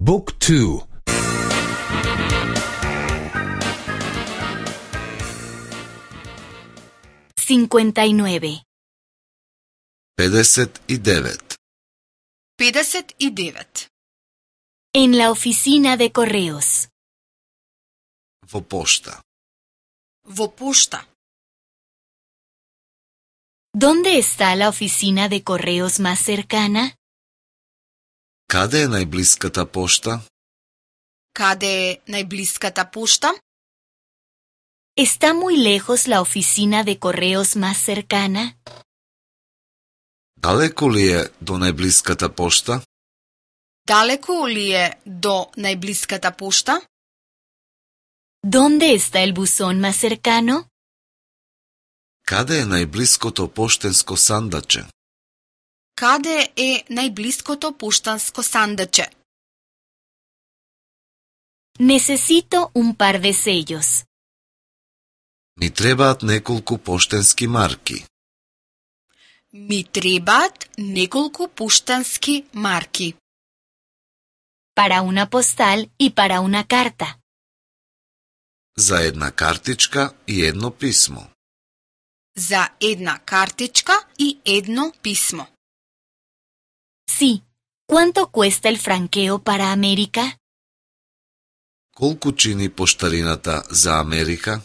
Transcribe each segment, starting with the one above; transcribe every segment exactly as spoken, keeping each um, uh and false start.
Book two. cincuenta y nueve. педесет и девет. педесет и девет. En la oficina de correos. Во пошта. Во пошта. ¿Dónde está la oficina de correos más cercana? Каде е најблиската пошта? Каде е најблиската пошта? ¿Está muy lejos la oficina de correos más cercana? Далеку ли е до најблиската пошта? Далеку ли е до најблиската пошта? ¿Dónde está el buzón más cercano? Каде е најблиското поштенско сандаче? Каде е најблиското поштанско сандаче? Necesito un par de sellos. Ми требаат неколку поштенски марки. Ми требаат неколку поштански марки. Para una postal y para una carta. За една картичка и едно писмо. За една картичка и едно писмо. Sí. ¿Cuánto cuesta el franqueo para América? Колку чини поштарината за Америка?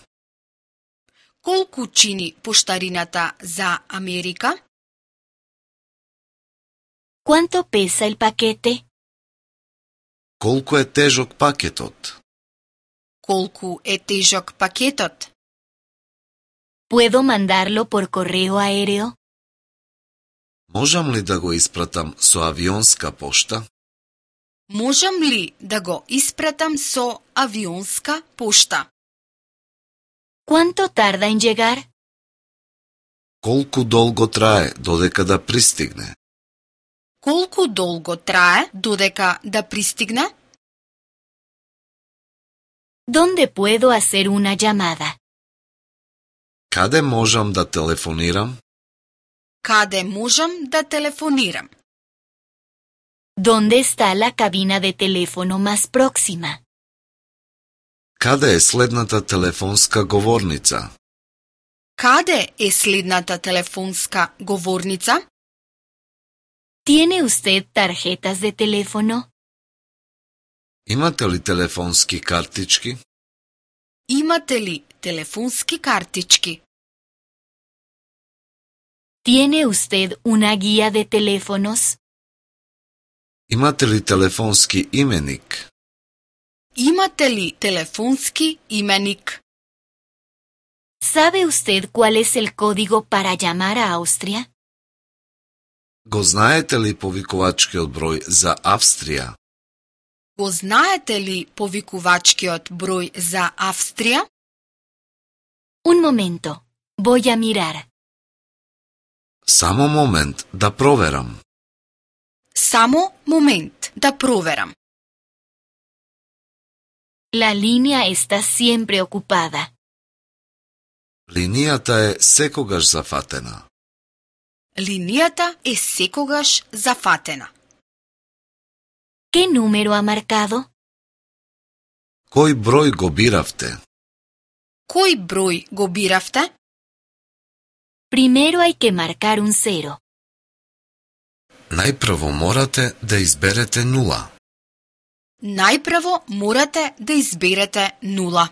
Колку чини поштарината за Америка? ¿Cuánto pesa el paquete? Колку е тежок пакетот? Колку е тежок пакетот? ¿Puedo mandarlo por correo aéreo? Можам ли да го испратам со авионска пошта? Можам ли да го испратам со авионска пошта? ¿Cuánto tarda en llegar? Колку долго трае додека да пристигне? Колку долго трае додека да пристигне? ¿Dónde puedo hacer una llamada? Каде можам да телефонирам? Каде можам да телефонирам? ¿Dónde está la cabina de teléfono más próxima? Каде е следната телефонска говорница? Каде е следната телефонска говорница? ¿Tiene usted tarjetas de teléfono? Имате ли телефонски картички? Имате ли телефонски картички? ¿Tiene usted una guía de teléfonos? Имате ли телефонски именик? Имате ли телефонски именик? ¿Sabe usted cuál es el código para llamar a Austria? Го знаете ли повикувачкиот број за Австрија? Го знаете ли повикувачкиот број за Австрија? Un momento. Voy a mirar. Само момент да проверам. Само момент да проверам. La línea está siempre ocupada. Линијата е секогаш зафатена. Линијата е секогаш зафатена. ¿Qué número ha marcado? Кој број го биравте? Кој број го биравте? Primero hay que marcar un cero. Најпрво морате да изберете нула. Најпрво морате да изберете нула.